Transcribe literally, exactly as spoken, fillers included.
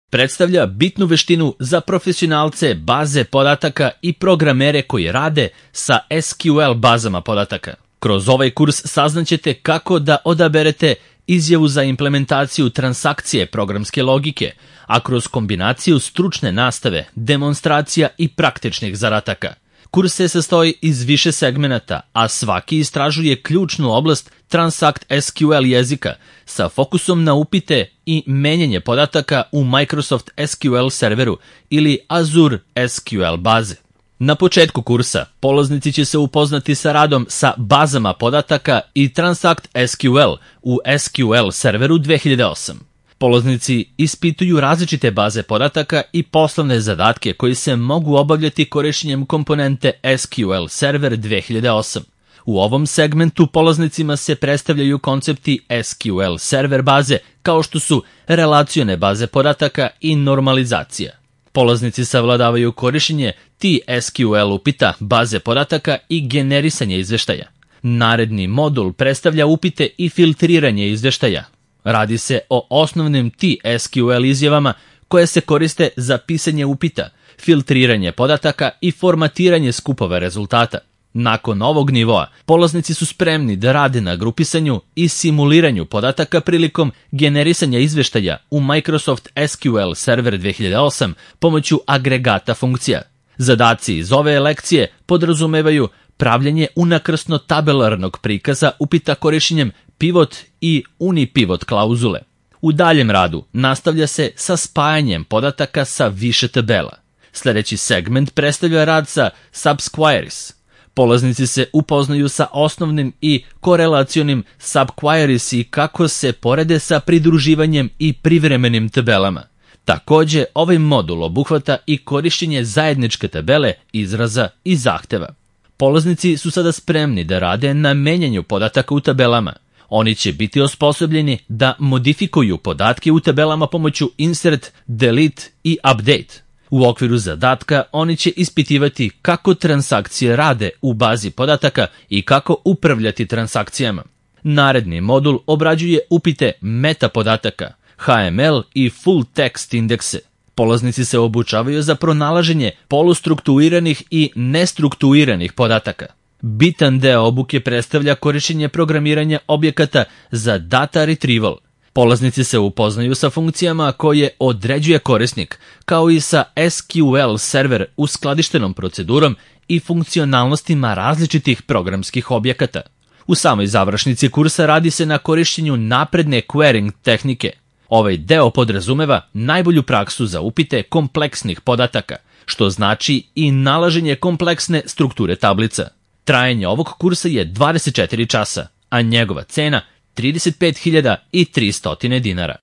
predstavlja bitnu veštinu za profesionalce baze podataka i programere koji rade sa S Q L bazama podataka. Kroz ovaj kurs saznaćete kako da odaberete izjavu za implementaciju transakcije programske logike, a kroz kombinaciju stručne nastave, demonstracija i praktičnih zadataka. Kurs se sastoji iz više segmenata, a svaki istražuje ključnu oblast Transact S Q L jezika sa fokusom na upite i menjanje podataka u Microsoft S Q L serveru ili Azure S Q L baze. Na početku kursa polaznici će se upoznati sa radom sa bazama podataka i Transact S Q L u S Q L serveru dve hiljade osam. Polaznici ispituju različite baze podataka i poslovne zadatke koji se mogu obavljati korišćenjem komponente S Q L server dve hiljade osam. U ovom segmentu polaznicima se predstavljaju koncepti S Q L server baze kao što su relacione baze podataka i normalizacija. Polaznici savladavaju korišćenje T S Q L upita, baze podataka i generisanje izveštaja. Naredni modul predstavlja upite i filtriranje izveštaja. Radi se o osnovnim T S Q L izjavama koje se koriste za pisanje upita, filtriranje podataka i formatiranje skupova rezultata. Nakon ovog nivoa, polaznici su spremni da rade na grupisanju i simuliranju podataka prilikom generisanja izveštaja u Microsoft S Q L Server dve hiljade osam pomoću agregata funkcija. Zadaci iz ove lekcije podrazumevaju pravljanje unakrsno tabelarnog prikaza upita korišćenjem pivot i unipivot klauzule. U daljem radu nastavlja se sa spajanjem podataka sa više tabela. Sljedeći segment predstavlja rad sa subqueries. Polaznici se upoznaju sa osnovnim i korelacionim subqueries i kako se porede sa pridruživanjem i privremenim tabelama. Takođe, ovaj modul obuhvata i korišćenje zajedničke tabele, izraza i zahteva. Polaznici su sada spremni da rade na menjanju podataka u tabelama. Oni će biti osposobljeni da modifikuju podatke u tabelama pomoću insert, delete i update. U okviru zadatka oni će ispitivati kako transakcije rade u bazi podataka i kako upravljati transakcijama. Naredni modul obrađuje upite meta podataka, H M L i full text indekse. Polaznici se obučavaju za pronalaženje polustruktuiranih i nestruktuiranih podataka. Bitan deo obuke predstavlja korišćenje programiranja objekata za data retrieval. Polaznici se upoznaju sa funkcijama koje određuje korisnik, kao i sa S Q L server uskladištenom procedurom i funkcionalnostima različitih programskih objekata. U samoj završnici kursa radi se na korišćenju napredne querying tehnike. Ovaj deo podrazumeva najbolju praksu za upite kompleksnih podataka, što znači i nalaženje kompleksne strukture tablica. Trajanje ovog kursa je dvadeset četiri časa, a njegova cena trideset pet hiljada tristo dinara.